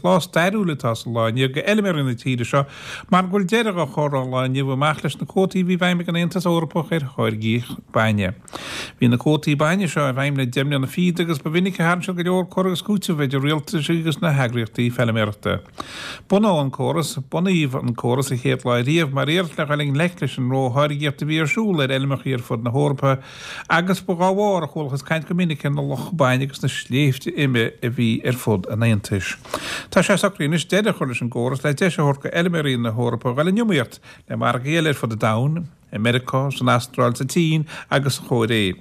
lá stairiúil atá sa lá inniu do fheilméaraí na tíre seo mar go bhfuil deireadh á chur ón lá inniu amach leis na cuótaí a bhí i bhfeidhm ag an Aontas Eorpach ar tháirgeadh bainne. Bhí na cuótaí bainne seo i bhfeidhm le 10 mbliana fichead agus ba mhinic a tharraing siad go leor cur agus cúiteamh idir rialtais agus na heagraíochtaí feilméarachta. Bunaíodh an córas, bunaíodh an córas an chéad lá riamh mar iarracht le dhul i ngleic leis an rótháirgíocht a bhí ar siúl ar fheilmeacha ar fud na hEorpa agus ba dhá bharr a chualathas caint go minic ar na locha bainne agus na sléibhte ime a bhí ar fud an Aontais. Tá sé socraithe anois deireadh a chur leis an gcóras le deis a thabhairt do fheilméaraí na hEorpa dhul in iomaíocht le margaí eile ar fud an domhain. i Meiriceá, san Astráil, sa tSín agus sa Chóiré.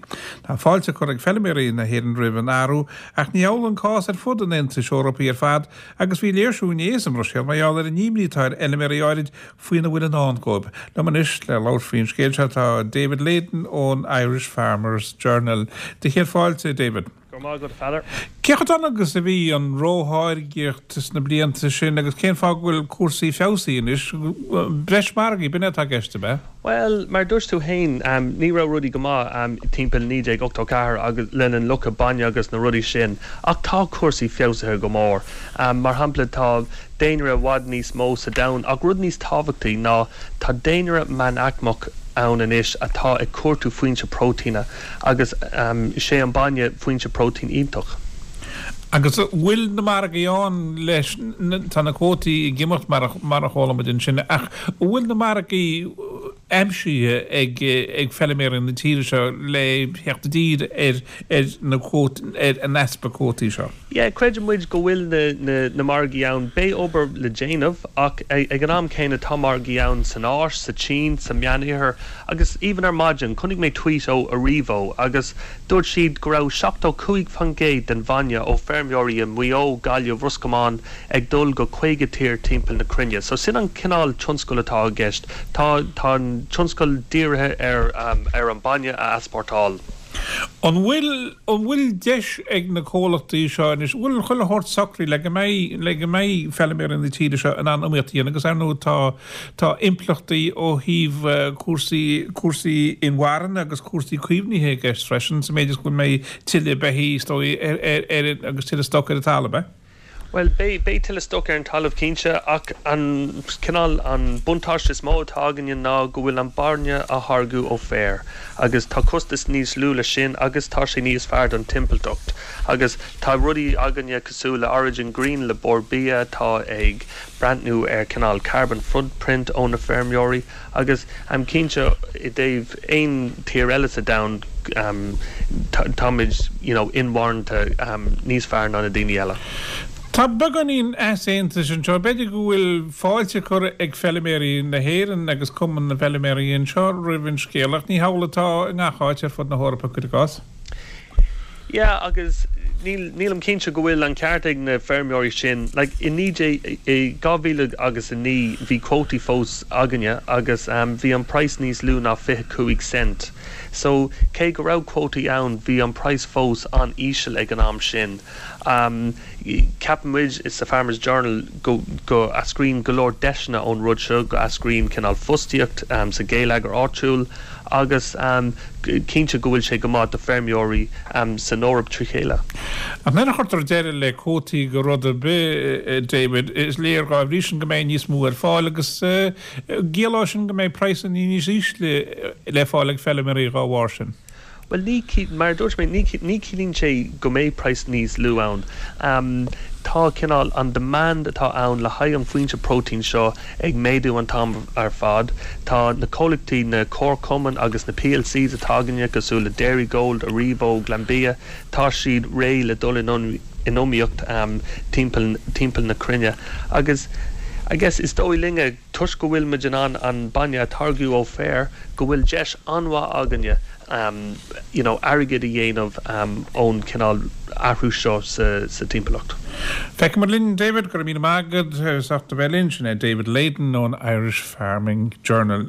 Tá fáilte curtha ag feilméaraí na hÉireann roimh an athrú, ach ní hamhlaidh an cás ar fud an Aontais Eorpaigh ar fad agus bhí léirsiú inné sa mBruiséil mar gheall ar an imní atá ar fheilméaraí áirid faoina bhfuil i ndán dóibh. Liom anois le labhairt faoin scéal seo tá David Leyden ón Irish Farmers Journal. Do chéad fáilte, David. Go raibh maith agat, a Pheadair. Cé chomh dona agus a bhí an rótháirgíocht sna blianta sin agus cén fáth go bhfuil cúrsaí feabhsaithe anois? Breis margaí, b'in é atá i gceist, ab ea? Bhuel, mar a dúirt tú féin, ní raibh rudaí go maith timpeall 1984 agus lena an locha bainne agus na rudaí sin, ach tá cúrsaí feabhsaithe go mór. Mar shampla, tá daonra i bhfad níos mó sa domhan ach rud níos tábhachtaí ná tá daonra meánaicmeach ann anois atá ag cuartú foinse próitéine. Agus is é an bainne foinse próitéin iontach. Agus an bhfuil na margaí ann leis, tá na cuótaí ag imeacht mar a chuala muid ansin, ach an bhfuil na margaí aimsithe ag ag feilméaraí na tíre seo le theacht i dtír ar ar na ar an easpa cuótaí seo? Yeah, creideann muid go bhfuil na na na margaí ann. Beidh obair le déanamh ach ag an am céanna tá margaí ann san Áis, sa tSín, sa Meánoirthear agus even ar maidin chonaic mé tweet ó Aurivo agus dúirt siad go raibh 75% den bhainne ó feirmeoirí i Maigh Eo, Gaillimh, Ros Comáin ag dul go 50 tír timpeall na cruinne. So sin an cineál tionscail atá i gceist. Tá tá an tionscal dírithe ar ar an bainne a easpórtáil. An bhfuil, an bhfuil deis ag na comhlachtaí seo anois, an bhfuil chuile shórt socraithe le go mbeidh, le go mbeidh feilméaraí na tíre seo in ann iomaíocht a dhéanamh agus ar ndóigh tá, tá impleachtaí ó thaobh cúrsaí, cúrsaí inmharthana agus cúrsaí caomhnaithe i gceist freisin sa méid is go mbeidh tuilleadh beithígh is dóigh ar, ar, ar, agus tuilleadh stoc ar an talamh, eh? Bhuel, beidh, beidh tuilleadh stoc ar an talamh cinnte, ach an cineál, an buntáiste is mó atá againne ná go bhfuil an bainne á tháirgeadh ó féar agus tá costas níos lú leis sin agus tá sé níos fearr don timpealltacht. Agus tá rudaí againne cosúil le Origin Green le Bord Bia atá ag breathnú ar cineál carbon footprint ó na feirmeoirí Agus cinnte i dtaobh aon tír eile sa domhan táimid you know inmharthana níos fearr ná na daoine eile. Tá beagáinín easaontais anseo. B'fhéidir go bhfuil fáilte curtha ag feilméaraí na hÉireann agus Cumann na bhFeilméaraí anseo roimh an scéal ach ní hamhlaidh atá i ngach áit ar fud na hEorpa, cuir i gcás. Yeah agus níl, nílim cinnte go bhfuil an ceart ag na feirmeoirí sin. Like i 19, i 2000 agus 9 bhí cuótaí fós againne agus bhí an praghas níos lú ná 25 cent. So cé go raibh cuótaí ann bhí an praghas fós an-íseal ag an am sin. Ceapann muid sa Farmers Journal go, go eascraíonn go leor deiseanna ón rud seo, go eascraíonn cineál fostaíocht sa gheilleagar áitiúil agus cinnte go bhfuil sé go maith do feirmeoirí san Eoraip trí chéile. Ach nuair a chuirtear deireadh le cuótaí go rud ar bith, David, is léir dhá bhrí sin go mbeidh níos mó ar fáil agus ciallóidh sin go mbeidh praghsanna níos ísle le fáil ag feilméaraí dhá bharr sin. Bhuel, ní, mar a dúirt mé, ní, ní chiallaíonn sé go mbeidh praghas níos lú ann. Tá cineál, an demand atá ann le haghaidh an foinse próitéin seo ag méadú an t-am ar fad. Tá na comhlachtaí, na comharchumainn agus na PLCs atá againne, cosúil le Dairygold, Aurivo, Glanbia, tá siad réidh le dul in iomaíocht timpeall, timpeall na cruinne. Agus I guess is dóigh linne, toisc go bhfuil muid in ann an bainne a táirgeadh ó féar, go bhfuil deis an-mhaith againne you know airgead a dhéanamh ón cineál athrú seo sa timpeallacht. Feicfimid linn, David, go raibh míle maith agat as ucht a bheith linn. Sin é David Leyden ón Irish Farming Journal.